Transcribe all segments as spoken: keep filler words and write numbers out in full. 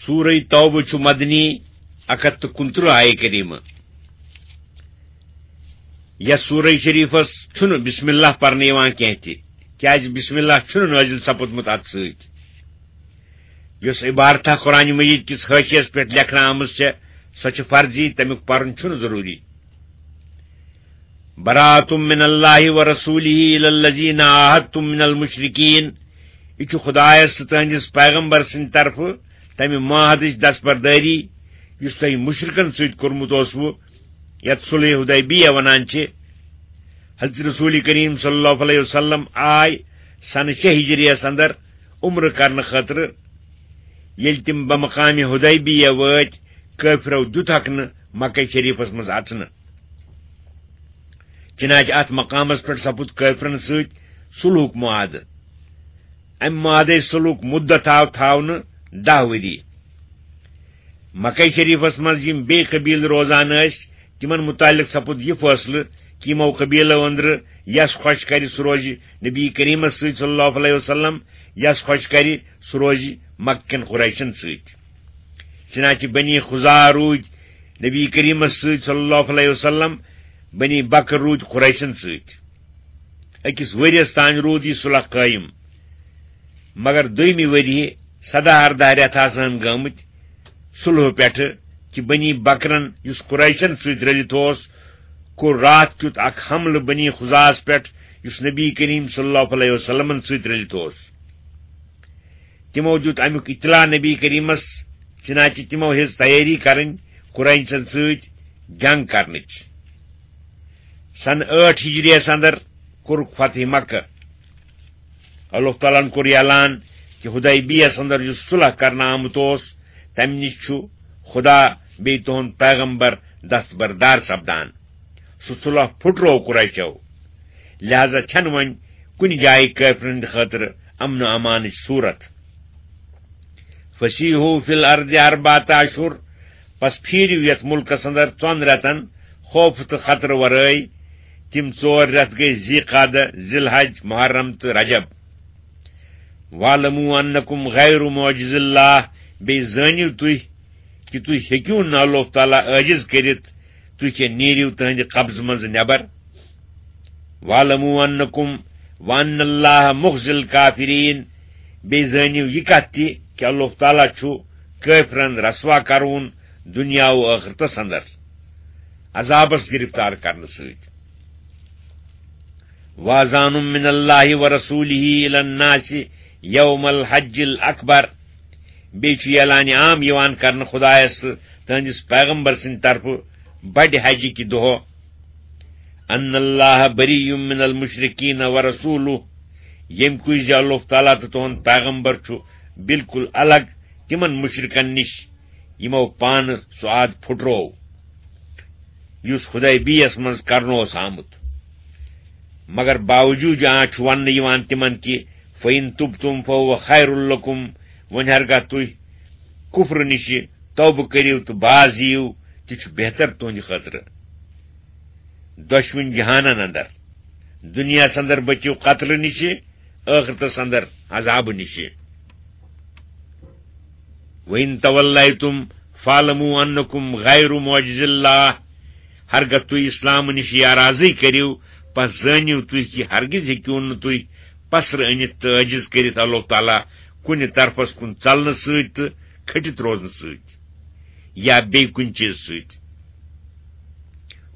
سورہ توبہ چھُ مدنی، اکھ ہتھ تہٕ کُنترٕہ آیہِ کریمہ۔ یتھ سورہ شریفس چھُنہٕ بسم اللہ پرنہٕ یِوان کینٛہہ تہِ، کیازِ بسم اللہ چھُنہٕ نٲزِل سپُدمُت اتھ سۭتۍ۔ یۄس عبارتہ قرآن مجید کِس حاشیس پٮ۪ٹھ لیکھنہٕ آمٕژ چھےٚ، سۄ چھِ فرضی، تمیُک پرُن چھُنہٕ ضروٗری۔ برات من اللہ و رسولہ الی الذین عاہدتم من المشرکین۔ یہِ چھُ خدایس تہٕ تہنٛدِس پیغمبر سٕنٛدِ طرفہٕ تمہِ معاہدٕچ دستبردٲری، یُس تۄہہِ مُشرکن سۭتۍ کوٚرمُت اوسوٕ، یتھ صلح حدیبیہ ونان چھِ۔ حضرت رسول کریم صلی اللہ علیہ وسلم آے سنہٕ شےٚ ہجریس اندر عمرٕ کرنہٕ خٲطرٕ۔ ییٚلہِ تِم بمقامِ حدیبیہ وٲتۍ، کٲفرو دیُت حق نہٕ مکہ شریفس منٛز اژنہٕ۔ چنانچہ اتھ مقامس پٮ۪ٹھ سپُد کٲفرن سۭتۍ صلحُک معاہدٕ۔ امہِ معاہدے صلحُک مدت آو تھاونہٕ دَہ ؤری۔ مکہ شریفس منٛز یِم بیٚیہِ قبیلہٕ روزان ٲسۍ، تِمن متعلق سپُد یہِ فٲصلہٕ کہِ یِمو قبیلو أنٛدرٕ یس خۄش کرِ، سُہ روزِ نبی کریمس سۭتۍ صلی اللہ علیہ وسلم، یس خۄش کرِ، سُہ روزِ مکہ کٮ۪ن قریشن سۭتۍ۔ چنانچہ بنی خزاع روٗدۍ نبی کریمس سۭتۍ صلی اللہ علیہ وسلم، بنی بکر روٗدۍ قریشن سۭتۍ۔ أکِس ؤریَس تام روٗد یہِ صلح قٲیِم، مگر دوٚیمہِ ؤریہِ، سداہ ارداہ رٮ۪تھ آسہٕ ہن گٲمٕتۍ صلحہٕ پٮ۪ٹھٕ، کہِ بنی بکرن، یُس قریشن سۭتۍ رٔلِتھ اوس، کوٚر راتھ کیُتھ اکھ حملہٕ بنی خزاعس پٮ۪ٹھ، یُس نبی کریم صلی اللہ علیہ وسلمن سۭتۍ رٔلِتھ اوس۔ تِمو دیُت امیُک اطلاع نبی کریمس، چنانچہ تِمو ہیٚژ تیٲری کرٕنۍ قریشن سۭتۍ جنگ کرنٕچ۔ سنہٕ ٲٹھ ہجریس اندر کوٚرُکھ فتح مکہ۔ اللہ تعالیٰ ہن کوٚر یہِ اعلان کہِ حدیبیہس اندر یُس صلح کرنہٕ آمُت اوس، تمہِ نِش چھُ خدا بیٚیہِ تُہُنٛد پیغمبر دستبردار سپدان۔ سُہ صلح پھُٹروو قریشو، لہذا چھنہٕ وۄنۍ کُنہِ جایہِ کٲفرن ہٕنٛدِ خٲطرٕ امن و امانٕچ صورت۔ فسیحوا فی الارض اربعۃ اشہر، پس پھیرِو یتھ ملکس اندر ژۄن رٮ۪تن خوف تہٕ خطرٕ ورٲے۔ تِم ژور رٮ۪تھ گٔے ذی قعدہ، ذی الحج، محرم تہٕ رجب۔ واعلموا انکم غیر معجز اللہ، بیٚیہِ زٲنِو تُہۍ کہِ تُہۍ ہیٚکِو نہٕ اللہ تعالیٰ عٲجز کٔرِتھ، تُہۍ کیٛاہ نیٖرِو تٕہٕنٛدِ قبضہٕ منٛزٕ نٮ۪بر۔ واعلموا انکم وان اللہ مخزی الکافرین، بیٚیہِ زٲنِو یہِ کتھ تہِ کہِ اللہ تعالیٰ چھُ کٲفرن رسوا کرون دُنیا و ٲخرتس اندر عذابس گرفتار کرنہٕ سۭتۍ۔ واذان من اللہ و رسولہ الی الناس یوم الحج الاکبر، بیٚیہِ چھُ یہِ اعلانِ عام یِوان کرنہٕ خدایس تہٕ تہنٛدِس پیغمبر سٕنٛدِ طرفہٕ بڑِ حجہِ کہِ دۄہ، ان اللہ بری من المشرکین و رسولہ، ییٚمہِ کُے زِ اللہ تعالیٰ تہٕ تُہُنٛد پیغمبر چھُ بالکل الگ تِمن مشرکن نِش، یِمو پانہٕ سُہ عہد پھُٹروو، یُس حدیبیہس منٛز کرنہٕ اوس آمُت۔ مگر باوجود آ چھُ وننہٕ یِوان تِمن کہِ فَإِن تُبْتُمْ فَهُوَ خَيْرٌ لَكُمْ، وۄنۍ ہرگاہ تُہۍ کفرٕ نِشہِ توبہٕ کٔرِو تہٕ باز یِیِو، تہِ چھُ بہتر تُہنٛدِ خٲطرٕ۔ دۄشوٕنۍ جہانن اندر، دُنیاہس اندر بٔچِو قتلہٕ نِشہِ، ٲخرتس اندر عذابہٕ نِشہِ۔ وَإِن تَوَلَّيْتُمْ فَاعْلَمُوا أَنَّكُمْ غَيْرُ مُعْجِزِي اللَّهِ، ہرگاہ تُہۍ اسلام نِش یارازٕے کٔرِو، پس زٲنِو تُہۍ کہِ ہرگز ہیٚکِو نہٕ تُہۍ پسرٕ أنِتھ تہٕ عٲجز کٔرِتھ اللہ تعالیٰ کُنہِ طرفس کُن ژلنہٕ سۭتۍ تہٕ کھٔٹِتھ روزنہٕ سۭتۍ یا بیٚیہِ کُنہِ چیٖزٕ سۭتۍ۔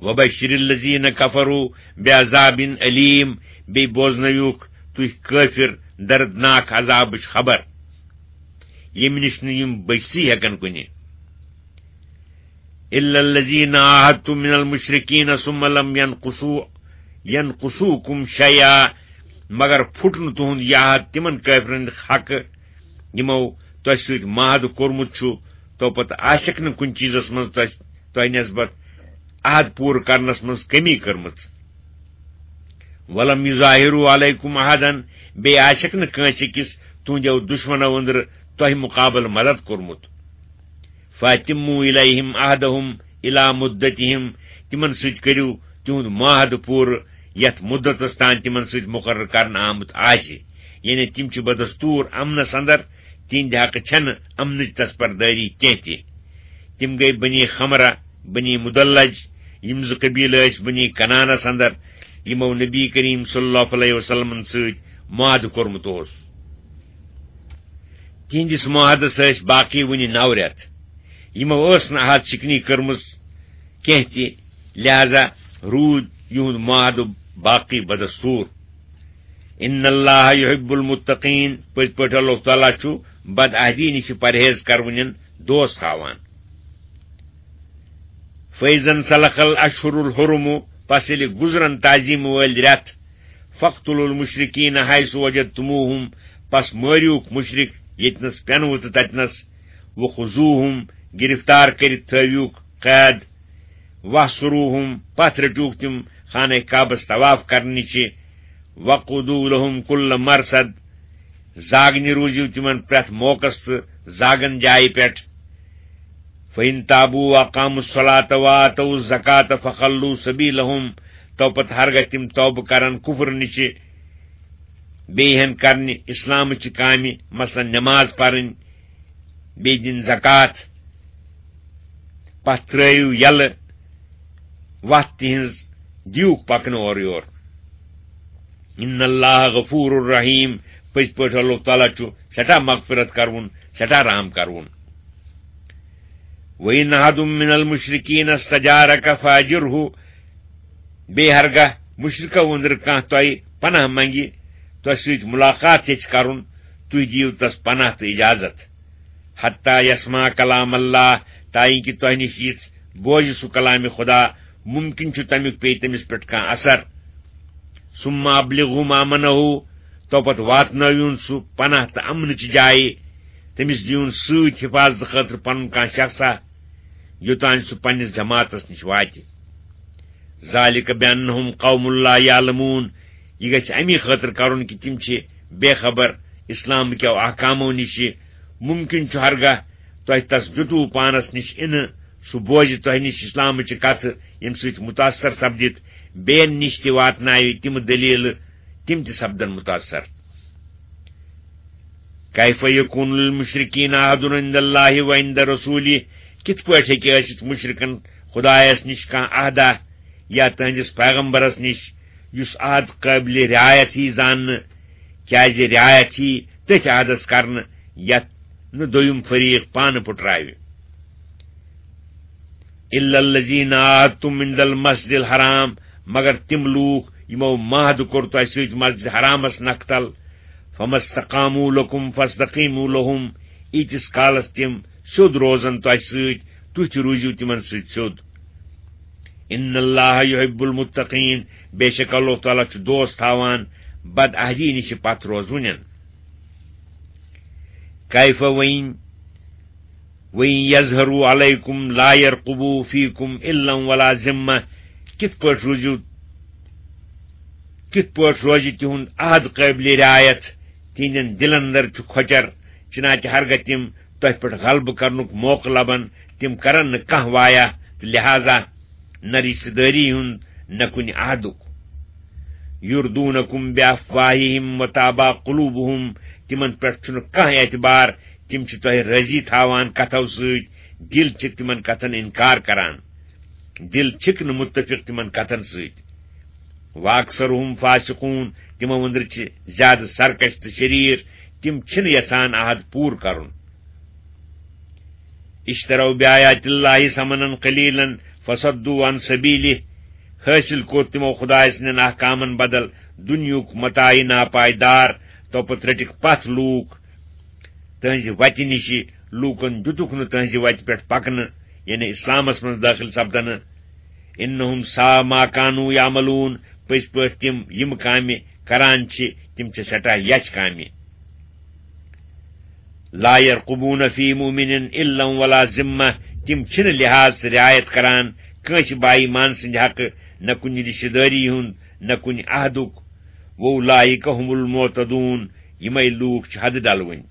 وَبَشِّرِ الَّذِينَ كَفَرُوا بِعَذَابٍ أَلِيمٍ، بیٚیہِ بوزنٲوِوکھ تُہۍ کٲفِر دردناک عذابٕچ خبر، ییٚمہِ نِش نہٕ یِم بٔچتھٕے ہٮ۪کن کُنہِ۔ إِلَّا الَّذِينَ عَاهَدتُّم مِّنَ الْمُشْرِكِينَ ثُمَّ لَمْ يَنقُصُوا يَنقُصُوكُمْ شَيْئًا، مگر پھُٹ نہٕ تُہُنٛد یہِ عہد تِمن کٲفرن حقہٕ، یِمو تۄہہِ سۭتۍ معاہدٕ کوٚرمُت چھُ، تو پتہٕ آسٮ۪کھ نہٕ کُنہِ چیٖزس منٛز تۄہہِ، تۄہہِ نسبت عہد پوٗرٕ کرنس منٛز کمی کٔرمٕژ۔ وَلَمْ يُظَاهِرُوا عَلَيْكُمْ أَحَدًا، بیٚیہِ آسٮ۪کھ نہٕ کٲنٛسہِ أکِس تُہنٛدیو دُشمنو أنٛدرٕ تۄہہِ مُقابلہٕ مدد کوٚرمُت۔ فَأَتِمُّوا إِلَيْهِمْ عَهْدَهُمْ إِلَىٰ مُدَّتِهِمْ، تِمن سۭتۍ کٔرِو تِہُنٛد معاہدٕ پوٗرٕ، یَتھ مُدتس تام تِمن سۭتۍ مُقرر کرنہٕ آمُت آسہِ، یعنی تِم چھِ بدستوٗر امنس اندر، تِہنٛدِ حقہٕ چھنہٕ امنٕچ تصبردٲری کینٛہہ تہِ۔ تِم گٔیہِ بنی خمرہ، بنی مدلج، یِم زٕ قبیلہٕ ٲسۍ بنی کنانس اندر، یِمو نبی کریم صلی اللہ علیہ وسلمن سۭتۍ معاہدٕ کوٚرمُت اوس۔ تِہنٛدِس معاہدس ٲسۍ باقی وُنہِ نو رٮ۪تھ۔ یِمو ٲس نہٕ عہد شکنی کٔرمٕژ کینٛہہ تہِ، لہذا روٗد یِہُنٛد معاہدٕ باقی بدستور۔ ان اللہ یحب المتقین، پٔزۍ پٲٹھۍ اللہ تعالیٰ چھُ بدعہدی نِش پرہیز کرونٮ۪ن دوست تھاوان۔ فیضن سلخ الاشہر الحرم، پس ییٚلہِ گُزرن تعظیم وٲلۍ رٮ۪تھ، فاقتلوا المشرکین حیث وجدتموہم، پس مٲریوکھ مشرک ییٚتنس پٮ۪نوٕ تہٕ تتنس، وخذوہم، گرفتار کٔرِتھ تھٲویوکھ قید، واحصروہم، پتھ رٔٹیوکھ تِم خانہ کعبس طواف کرنہٕ نِش، وقعدوا لہم کل مرصد، زاگنہِ روٗزِو تِمن پرٛٮ۪تھ موقعس تہٕ زاگن جایہِ پٮ۪ٹھ۔ فَإِن تَابُوا وَأَقَامُوا الصَّلَاةَ وَآتَوُا الزَّكَاةَ فَخَلُّوا سَبِيلَهُمْ، تو پتہٕ ہرگاہ تِم توبہٕ کرن کفر نِش، بیٚیہِ ہن کرنہِ اسلامٕچہِ کامہِ، مثلاً نماز پرٕنۍ، بیٚیہِ دِنۍ زکوٰۃ، پتہٕ ترٲیِو یلہٕ وتھ تِہنٛز، دِیوکھ پکنہٕ اورٕ یور۔ ان اللہ غفور رحیم، پٔزۍ پٲٹھۍ اللہ تعالیٰ چھُ سٮ۪ٹھاہ مغفرت کرون، سٮ۪ٹھاہ رحم کرون۔ وَإِنْ أَحَدٌ مِّنَ الْمُشْرِكِينَ اسْتَجَارَكَ فَأَجِرْهُ، بیٚیہِ ہرگاہ مشرکو أنٛدرٕ کانٛہہ تۄہہِ پناہ منگہِ، تۄہہِ سۭتۍ ملاقات یژھِ کرُن، تُہۍ دِیِو تس پناہ تہٕ اجازت۔ حتیٰ یسمع کلام اللہ، تاکہ تۄہہِ نِش یِژھ بوزِ سُہ کلامِ خدا، ممکن چھُ تمیُک پیٚیہِ تٔمِس پٮ۪ٹھ کانٛہہ اثر۔ ثم ابلغہ مأمنہ، تو پتہٕ واتنٲوِوُن سُہ پناہ تہٕ امنٕچہِ جایہِ، تٔمِس دِیُن سۭتۍ حفاظتہٕ خٲطرٕ پنُن کانٛہہ شخصا، یوٚتام سُہ پننِس جماعتس نِش واتہِ۔ ذلك بأنهم قوم لا يعلمون، یہِ گژھِ امی خٲطرٕ کرُن کہِ تِم چھِ بے خبر اسلام کیو احکامو نِش۔ ممکن چھُ ہرگاہ تۄہہِ تس دیُتوُ پانس نِش اِنہٕ، سُہ بوزِ تۄہہِ نِش اسلامٕچہِ کتھٕ، ییٚمہِ سۭتۍ متاثر سپدِتھ بیٚین نِش تہِ واتناوِ تِم دلیلہٕ، تِم تہِ سپدن متاثر۔ کیف یکون للمشرکین عہد عند اللہ و عند رسولہ، کِتھ پٲٹھۍ ہیٚکہِ ٲسِتھ مشرکن خدایس نِش کانٛہہ عہدہ یا تہنٛدِس پیغمبرس نِش، یُس عہد قٲبلِ رعایت یی زاننہٕ، کیازِ رعایت یی تٔتھۍ عہدس کرنہٕ یتھ نہٕ دوٚیُم فریق پانہٕ پُٹراوِ۔ الا الذین عاہدتم عند المسجد الحرام، مگر تِم لوٗکھ یِمو معاہدٕ کوٚر تۄہہِ سۭتۍ مسجد حرامس نکھٕ تل، فما استقاموا لکم فاستقیموا لہم، ییٖتِس کالس تِم سیوٚد روزن تۄہہِ سۭتۍ، تُہۍ تہِ روٗزِو تِمن سۭتۍ سیوٚد۔ ان اللہ یحب المتقین، بے شک اللہ تعالیٰ چھُ دوست تھاوان بد عہدی نِش پتھ روزوٕنٮ۪ن۔ کیف وَإِن، وَإِن يَظْهَرُوا عَلَيْكُمْ لَا يَرْقُبُوا فِيكُمْ إِلًّا وَلَا ذِمَّةً، کِتھ پٲٹھۍ روٗزِو، کِتھ پٲٹھۍ روزِ تِہُنٛد عہد قٲبلِ رعایت؟ تِہنٛدٮ۪ن دِلن اندر چھُ کھۄچر، چنانچہ ہرگاہ تِم تۄہہِ پٮ۪ٹھ غلبہٕ کرنُک موقعہٕ لبن، تِم کرن نہٕ کانٛہہ وعدٕ تہٕ لہذا نہ رشتہٕ دٲری ہُنٛد، نہ کُنہِ عہدُک۔ یردونکم بافواہہم وتابی قلوبہم، تِمن پٮ۪ٹھ چھُنہٕ کانٛہہ اعتبار، تِم چھِ تۄہہِ رٲضی تھاوان کتھو سۭتۍ، دِل چھِ تِمن کتھن انکار کران، دِل چھِکھ نہٕ متفق تِمن کتھن سۭتۍ۔ واکثرہم فاسقون، تِمو أنٛدرٕ چھِ زیادٕ سرکش تہٕ شریٖر، تِم چھِنہٕ یژھان عہد پوٗرٕ کرُن۔ اشتروا بآیات اللہ ثمنا قلیلا فصدوا عن سبیلہ، حٲصِل کوٚر تِمو خدایہِ سٕنٛدٮ۪ن احکامن بدل دُنیہُک متاعِ ناپائیدار، توپتہٕ رٔٹِکھ پتھ لوٗکھ تہنٛزِ وتہِ نِش، لوٗکن دیُتُکھ نہٕ تہنٛزِ وتہِ پٮ۪ٹھ پکنہٕ، یعنی اسلامس منٛز دٲخل سپدنہٕ۔ انہم ساء ما کانوا یعملون، پٔزۍ پٲٹھۍ تِم یِم کامہِ کران چھِ، تِم چھِ سٮ۪ٹھاہ یچھ کامہِ۔ لا یرقبون فی مؤمن الا ولا ذمہ، تِم چھِنہٕ لحاظ تہٕ رعایت کران کٲنٛسہِ با ایمان سٕنٛدِ حقہٕ، نہ کُنہِ رشتہٕ دٲری ہُنٛد، نہ کُنہِ عہدُک۔ وَأُولَٰئِکَ هُمُ الْمُعْتَدُونَ، یِمے لوٗکھ چھِ حدٕ ڈلوٕنۍ۔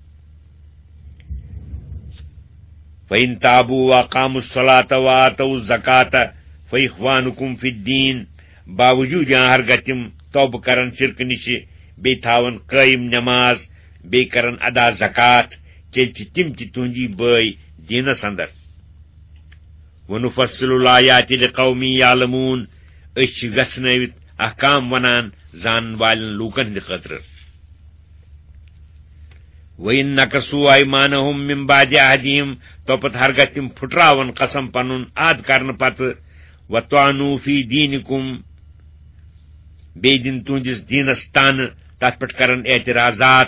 فَإِن تَابُوا وَأَقَامُوا الصَّلَاةَ وَآتَوُا الزَّكَاةَ فَإِخْوَانُكُمْ فِي الدِّينِ، باوجوٗد یا ہرگاہ تِم توبہٕ کرن شرکہٕ نِشہِ، بیٚیہِ تھاون قٲیِم نماز، بیٚیہِ کرن ادا زکوٰۃ، تیٚلہِ چھِ تِم تہِ تُہٕنٛدی بٲے دیٖنس اندر۔ وَنُفَصِّلُ الْآيَاتِ لِقَوْمٍ يَعْلَمُونَ، أسۍ چھِ وٮ۪ژھنٲوِتھ احکام وَنان زانن والٮ۪ن لوٗکن ہٕنٛدِ خٲطرٕ۔ وَإِن نَكَثُوا أَيْمَانَهُم مِّن بَعْدِ عَهْدِهِمْ، توپتہٕ ہرگاہ تِم پھُٹراون قسم پنُن عہد کرنہٕ پتہٕ، وَطَعَنُوا فِي دِينِكُمْ، بیٚیہِ دِن تُہنٛدِس دیٖنس تانہٕ، تتھ پٮ۪ٹھ کرن اعتراضات،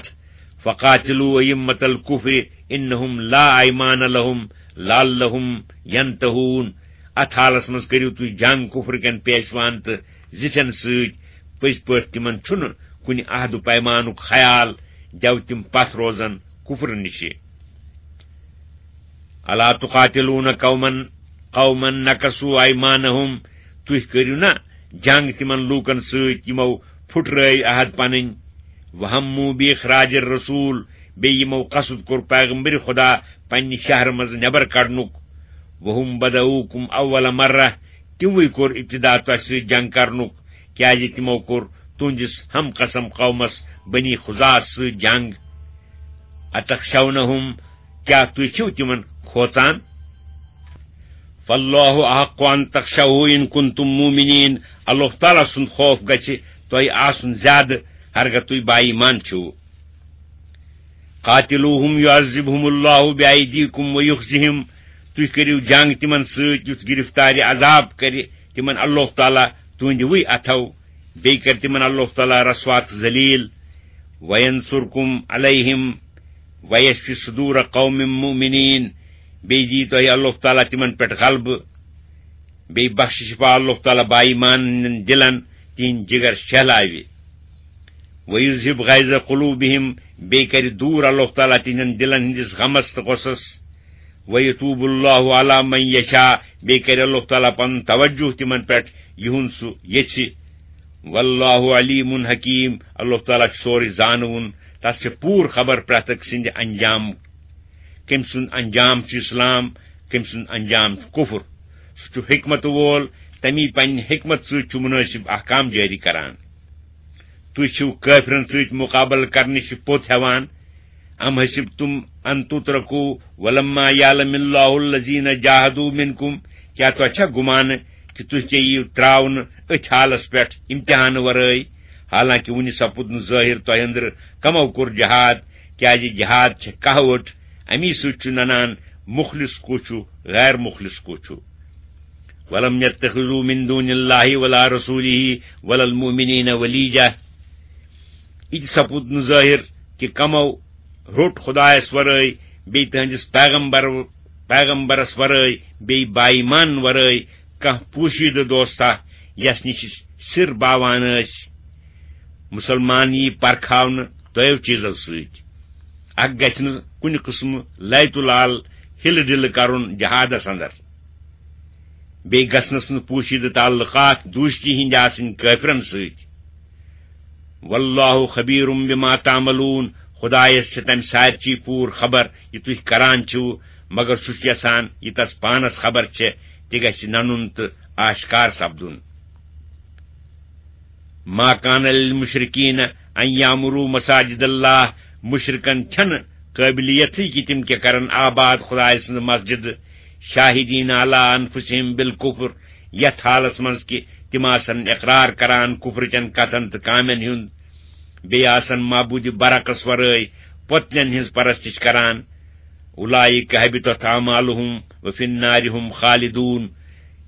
فَقَاتِلُوا أَئِمَّةَ الْكُفْرِ إِنَّهُمْ لَا أَيْمَانَ لَهُمْ لَعَلَّهُمْ يَنتَهُونَ۔ اتھ حالس منٛز کٔرِو تُہۍ جنگ کفر کٮ۪ن پیشوان تہٕ زِٹھٮ۪ن سۭتۍ، پٔزۍ پٲٹھۍ تِمن چھُنہٕ کُنہِ عہد و پیمانُک خیال، دیو تِم پتھ روزن کفر نِشہِ۔ أَلَا تُقَاتِلُونَ قَوْمًا، قَوْمًا نَكَثُوا أَيْمَانَهُمْ، تُہۍ کٔرِو نا جنگ تِمن لوٗکن سۭتۍ یِمو پھُٹرٲوۍ عہد پنٕنۍ، وَهَمُّوا بِإِخْرَاجِ الرَّسُولِ، بیٚیہِ یِمو قصد کوٚر پیغمبر خدا پننہِ شہرٕ منٛز نٮ۪بر کڑنُک، وَهُمْ بَدَئُوكُمْ أَوَّلَ مَرَّةٍ، تِموٕے کوٚر ابتدا تۄہہِ سۭتۍ جنگ کرنُک، کیازِ تِمو کوٚر تُہنٛدِس ہم قسم قومس بنی خزاعس سۭتۍ جنگ۔ أَتَخْشَوْنَهُمْ، کیٛاہ تُہۍ چھِو تِمن کھوژان؟ فَاللَّهُ أَحَقُّ أَن تَخْشَوْهُ إِن كُنتُم مُّؤْمِنِينَ، اللہ تعالیٰ سُنٛد خوف گژھِ تۄہہِ آسُن زیادٕ، ہرگاہ تُہۍ با ایمان چھِو۔ قَاتِلُوهُمْ يُعَذِّبْهُمُ اللَّهُ بِأَيْدِيكُمْ وَيُخْزِهِمْ، تُہۍ کٔرِو جنگ تِمن سۭتۍ، یُتھ گرفتارِ عذاب کرِ تِمن اللہ تعالیٰ تُہنٛدِوٕے اَتھو، بیٚیہِ کرِ تِمن اللہ تعالیٰ رسوا تہٕ ذلیل۔ وَيَنصُرْكُمْ عَلَيْهِمْ وَيَشْفِ صُدُورَ قَوْمٍ مُّؤْمِنِينَ، بیٚیہِ دِیہِ تۄہہِ اللہ تعالیٰ تِمن پٮ۪ٹھ غلبہٕ، بیٚیہِ بخشِ شفا اللہ تعالیٰ با ایمان ہٕنٛدٮ۪ن دِلن، تِہنٛدۍ جگر شہلاوِ۔ وَيُذْهِبْ غَيْظَ قُلُوبِهِمْ، بیٚیہِ کرِ دوٗر اللہ تعالیٰ تِہنٛدٮ۪ن دِلن ہٕنٛدِس غمس تہٕ غصس۔ وَيَتُوبَ اللَّهُ عَلَىٰ مَن يَشَاءُ، بیٚیہِ کرِ اللہ تعالیٰ پنُن توجہ تِمن پٮ۪ٹھ، یِہُنٛد سُہ یژھِ۔ وَاللَّهُ عَلِيمٌ حَكِيمٌ، اللہ تعالیٰ چھُ سورُے زانوُن، تس چھِ پوٗرٕ خبر پرٛٮ۪تھ أکۍ سٕنٛدِ انجام، کٔمۍ سُنٛد انجام چھُ اسلام، کٔمۍ سُنٛد انجام چھُ کفر۔ سُہ چھُ حکمت وول، تمی پننہِ حکمت سۭتۍ چھُ مُنٲسِب احکام جٲری کران۔ تُہۍ چھِو کٲفرن سۭتۍ مُقابلہٕ کرنٕچ پوٚت ہٮ۪وان۔ أَمْ حَسِبْتُمْ أَن تُتْرَكُوا وَلَمَّا يَعْلَمِ اللَّهُ الَّذِينَ جَاهَدُوا مِنْكُمْ، کیٛاہ تۄہہِ چھا گُمان کہِ تُہۍ ژےٚ یِیِو ترٛاونہٕ أتھۍ حالس پٮ۪ٹھ امتحان ورٲے، حالانکہِ وُنہِ سپُد نہٕ ظٲہِر تۄہہِ أنٛدرٕ کمو کوٚر جہاد، کیٛازِ جہاد چھےٚ کہوٹ، امی سۭتۍ چھُ ننان مُخلص کُس چھُ، غیر مُخلص کُس چھُ۔ وَلَمْ يَتَّخِذُوا مِنْ دُونِ اللَّهِ وَلَا رَسُولِهِ وَلَا الْمُؤْمِنِينَ وَلِيجَةً۔ یہِ تہِ سپُد نہٕ ظٲہِر کہِ کمو روٚٹ خدایس ورٲے، بیٚیہِ تہنٛدِس پیغمبر، پیغمبرس ورٲے، بیٚیہِ با ایمان ورٲے کانٛہہ پوشیدٕ دوستا، یس نِش سِر باوان ٲسۍ۔ مُسلمان یی پرکھاونہٕ دۄیو چیٖزو سۭتۍ۔ اکھ گژھِ نہٕ کُنہِ قٕسمہٕ لیتُل عال ہِلہٕ ڈِلہٕ کرُن جہادس اندر۔ بیٚیہِ گژھنَس نہٕ پوشیدٕ تعلقات دوستی ہٕنٛدۍ آسٕنۍ کٲفرن سۭتۍ۔ وَاللَّهُ خَبِيرٌ بِمَا تَعْمَلُونَ، خدایس چھِ تمہِ سارچی پوٗرٕ خبر یہِ تُہۍ کران چھِو، مگر سُہ چھُ یژھان یہِ تس پانس خبر چھےٚ، تہِ گژھِ ننُن تہٕ آشکار سپدُن۔ مَا كَانَ لِلْمُشْرِكِينَ أَن يَعْمُرُوا مَسَاجِدَ اللَّهِ، مُشرِکن چھنہٕ قٲبلیتٕے کہِ تِم کیٛاہ کرن آباد خدایہِ سٕنٛز مسجد، شَاهِدِينَ عَلَىٰ أَنفُسِهِم بِالْكُفْرِ، یتھ حالس منٛز کہِ تِم آسن اقرار کران کفرٕچن کتھن تہٕ کامٮ۪ن ہُنٛد، بیٚیہِ آسن معبوٗدِ برحقس ورٲے پۄتلٮ۪ن ہٕنٛز پرستش کران۔ أُولَٰئِكَ حَبِطَتْ أَعْمَالُهُمْ وَفِي النَّارِ هُمْ خَالِدُونَ۔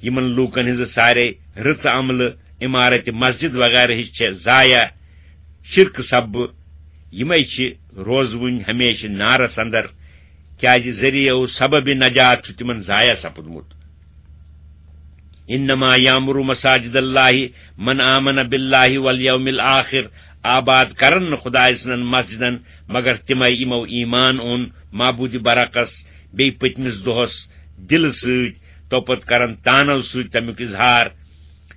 یِمن لوٗکن ہٕنٛزٕ سارے رٕژٕ عملہٕ، عمارت مسجد وغیرہ ہٕچ چھےٚ ضایع، شرکہٕ سببہٕ۔ یِمے چھِ روزوٕنۍ ہمیشہٕ نارس اندر، کیازِ ذٔریعہٕ سبب نجات چھُ تِمن ضایع سپُدمُت۔ إِنَّمَا يَعْمُرُ مَسَاجِدَ اللَّهِ مَنْ آمَنَ بِاللَّهِ وَالْيَوْمِ الْآخِرِ، آباد کرن نہٕ خدایہِ سٕنٛدٮ۪ن مسجدن مگر تِمے یِمو ایمان اوٚن معبوٗدِ برحقس، بیٚیہِ پٔتمِس دۄہس دِلہٕ سۭتۍ، توپتہٕ کرن تانو سۭتۍ تمیُک اظہار۔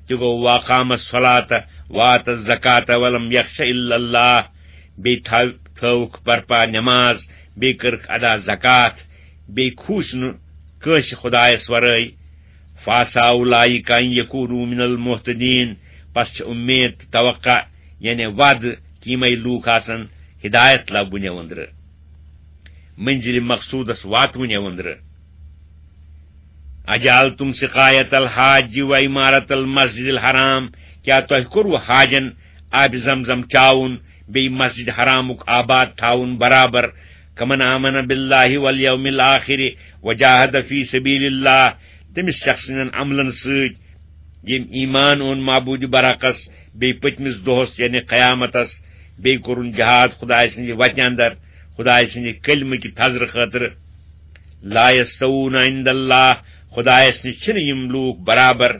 تہِ گوٚو، وَأَقَامَ الصَّلَاةَ وَآتَى الزَّكَاةَ وَلَمْ يَخْشَ إِلَّا اللَّهَ، بیٚیہِ تھاو-، تھٲوٕکھ برپا نماز، بیٚیہِ کٔرٕکھ ادا زکات، بیٚیہِ کھوٗژ نہٕ کٲنٛسہِ خدایس ورٲے۔ فَعَسَىٰ أُولَٰئِكَ أَن يَكُونُوا مِنَ الْمُهْتَدِينَ، پس چھِ اُمید تہٕ توقع، یعنی وعدٕ، کہِ یِمے لوٗکھ آسن ہدایت لبنہٕ أنٛدرٕ۔ منزل مقصودس واتوٕنۍ أنٛدرٕ۔ اجعلتم سقایت الحاج و عمارت المسجد الحرام، کیا تۄہہِ کوٚروٕ حاجن آبِ زمزم چاوُن بیٚیہِ مسجد حرامُک آباد تھاوُن برابر؟ کمن آمن باللہ والیوم الآخر وجاہد فی سبیل اللہ، تٔمِس شخص سٕنٛدٮ۪ن عملن سۭتۍ، ییٚمۍ ایمان اوٚن معبوٗدِ برحقس، بیٚیہِ پٔتمِس دۄہس یعنی قیامتس، بیٚیہِ کوٚرُن جہاد خدایہِ سٕنٛدِ وتہِ اندر، خدایہِ سٕنٛدِ کلمہٕ کہِ تھزرٕ خٲطرٕ۔ لا یستوون عند اللہ، خدایس نِش چھِنہٕ یِم لوٗکھ برابر۔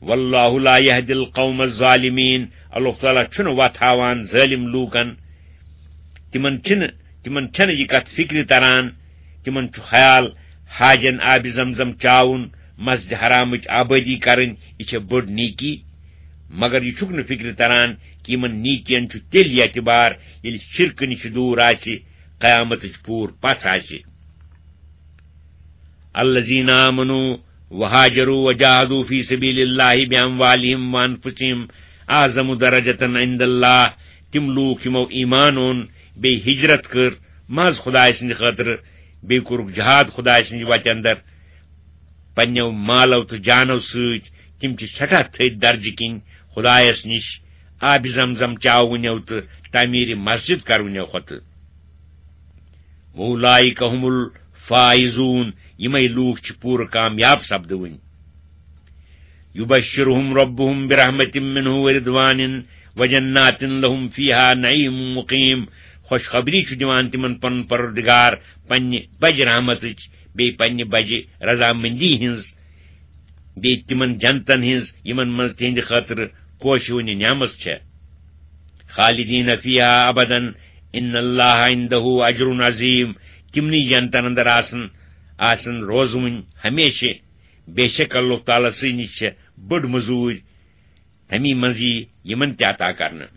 واللہ لا یہدی القوم الظالمین، اللہ تعالیٰ چھُنہٕ وتھ ہاوان ظٲلم لوٗکن۔ تِمن چھِنہٕ، تِمن چھَنہٕ یہِ کتھ فکرِ تران، تِمن چھُ خیال حاجن آبِ زمزم چاوُن، مسجد حرامٕچ آبٲدی کرٕنۍ، یہِ چھےٚ بٔڑ نیکی۔ مگر یہِ چھُکھ نہٕ فکرِ تران کہِ یِمن نیکین چھُ تیٚلہِ اعتبار، ییٚلہِ شرکہٕ نِش دوٗر آسہِ، قیامتٕچ پوٗر پژھ آسہِ۔ الذین آمنوا وهاجروا وجاهدوا في سبيل الله بأموالهم وأنفسهم أعظم درجة عند الله۔ تِم لوٗکھ یِمو ایمان اوٚن، بیٚیہِ ہجرت کٔر محض خدایہِ سٕنٛدِ خٲطرٕ، بیٚیہِ کوٚرُکھ جہاد خدایہِ سٕنٛدِ وتہِ اندر پننیو مالو تہٕ جانو سۭتۍ، تِم چھِ سٮ۪ٹھاہ تھٔدۍ درجہٕ کِنۍ خدایس نِش آبِ زمزم چاوٕنیو تہٕ تعمیٖرِ مسجد کرونیو کھۄتہٕ۔ وَأُولَٰئِكَ هُمُ الْفَائِزُونَ، یِمے لوٗکھ چھِ پوٗرٕ کامیاب سپدٕوٕنۍ۔ يُبَشِّرُهُمْ رَبُّهُمْ بِرَحْمَةٍ مِّنْهُ وَرِضْوَانٍ وَجَنَّاتٍ لَهُمْ فِيهَا نَعِيمٌ مُّقِيمٌ۔ خوشخبری چھُ دِوان تِمن پنُن پروردگار پننہِ بجہِ رحمتٕچ، بیٚیہِ پننہِ بجہِ رضامندی ہٕنٛز، بیٚیہِ تِمن جنتن ہٕنٛز، یِمن منٛز تِہنٛدِ خٲطرٕ پوشہِ وٕنہِ نعمژ چھےٚ۔ خالدین فیہا ابداً ان اللہ عندہ اجر عظیم۔ تِمنٕے جنتن اندر آسن، آسن روزوٕنۍ ہمیشہِ۔ بے شک اللہ تعالیٰ سٕے نِش چھےٚ بٔڑ مٔزوٗرۍ، تمی منٛز یی یِمن تہِ عطا کرنہٕ۔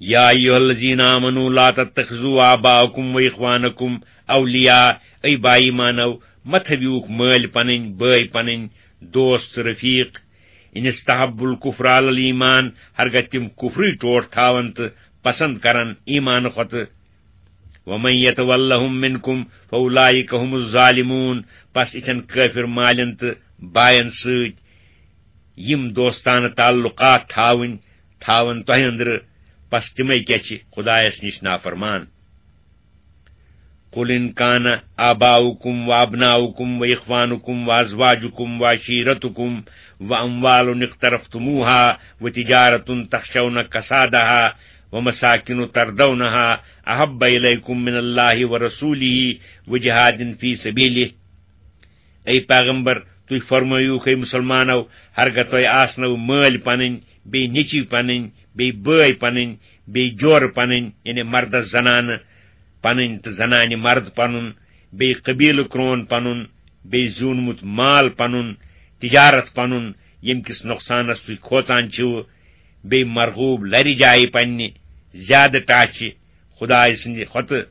یا ایھا الذین آمنوا لا تتخذوا آباءکم و اخوانکم اولیاء، اے با ایمانو، مہ تھٲوِوُکھ مٲلۍ پنٕنۍ، بٲے پنٕنۍ، دوست، رفیق، ان استحبوا الکفر علی الایمان، ہرگاہ تِم کفرٕے ٹوٹھ تھاون تہٕ پسند کرن ایمان کھۄتہٕ۔ ومن یتولہم منکم فاولئک هم الظالمون، پس اِتھٮ۪ن کٲفر مالٮ۪ن تہٕ باین سۭتۍ یِم دوستانہٕ تعلقات تھاوٕنۍ، تھاون تۄہہِ أنٛدرٕ، پس تِمے کیٛاہ چھِ خدایس نِش نافرمان۔ قل ان کان آباؤکم و ابناؤکم و اخوانکم و ازواجکم و عشیرتکم و اموال اقترفتموها و تجارة تخشون کسادها و مساکن ترضونها احب الیکم من اللہ و رسولہ و جہاد فی سبیلہ۔ اے پیغمبر، تُہۍ فرمٲیِو، اے مُسلمانو، ہرگاہ تۄہہِ آسنو مٲلۍ پنٕنۍ، بیٚیہِ نیٚچِوۍ پنٕنۍ، بیٚیہِ بٲے پنٕنۍ، بیٚیہِ جورٕ پنٕنۍ، یعنی مردس زنانہٕ پنٕنۍ تہٕ زنانہِ مرد پنُن، بیٚیہِ قبیلہٕ کرون پنُن، بیٚیہِ زیوٗنمُت مال پنُن، تجارت پنُن، ییٚمہِ کِس نۄقصانس تُہۍ کھوژان چھِو، بیٚیہِ مرغوب لرِ جایہِ پننہِ زیادٕ ٹاچھِ خدایہِ سٕنٛدِ کھۄتہٕ،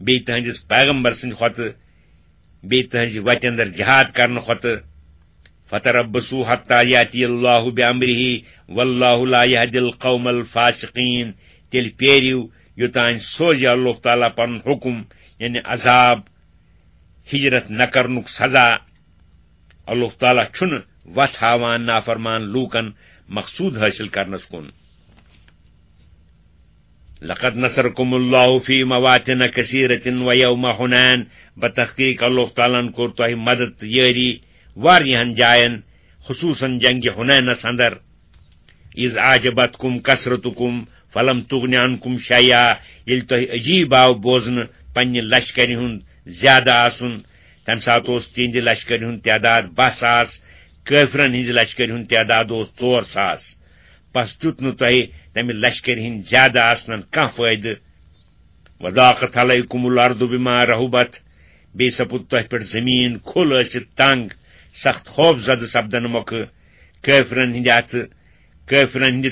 بیٚیہِ تٕہنٛدِس پیغمبر سٕنٛدِ کھۄتہٕ، بیٚیہِ تٕہنٛزِ وتہِ اندر جہاد کرنہٕ کھۄتہٕ۔ فتربصوا حتى یأتی اللہ بأمرہ واللہ لا یہدی القوم الفاسقین۔ تیٚلہِ پیرِو، یوٚتام سوزِ اللہ تعالیٰ پنُن حکم، یعنی عذاب، ہجرت نہ کرنُک سزا۔ اللہ تعالیٰ چھُنہٕ وتھ ہاوان نافرمان لوٗکن مقصود حٲصِل کرنس کُن۔ لقد نصركم الله في مواطن كثيرة ويوم حنين، بتحقیق اللہ تعالیٰ ہن کوٚر تۄہہِ مدد تہٕ یٲری واریاہن جاین، خصوصاً جنگِ حنینس اندر۔ اذ اعجبتكم كثرتكم فلم تغن عنكم شيئا، ییٚلہِ تۄہہِ عجیب آو بوزنہٕ پننہِ لشکرِ ہُنٛد زیادٕ آسُن، تمہِ ساتہٕ اوس تِہنٛدِ لشکرِ ہُنٛد تعداد باہ ساس، کٲفرن ہٕنٛزِ لشکرِ ہُنٛد تعداد اوس ژور ساس۔ پس دیُت نہٕ تۄہہِ تمہِ لشکرِ ہٕنٛدِ زیادٕ آسنن کانٛہہ فٲیدٕ۔ وضاقت علیکم الارض بما رحبت، بیٚیہِ سپُد تۄہہِ پٮ۪ٹھ زٔمیٖن کھُل ٲسِتھ تنگ، سخت خوف زدٕ سپدن مۄکھٕ۔ کٲفرن ہٕنٛدِ اتھٕ، کٲفرن ہٕنٛدِ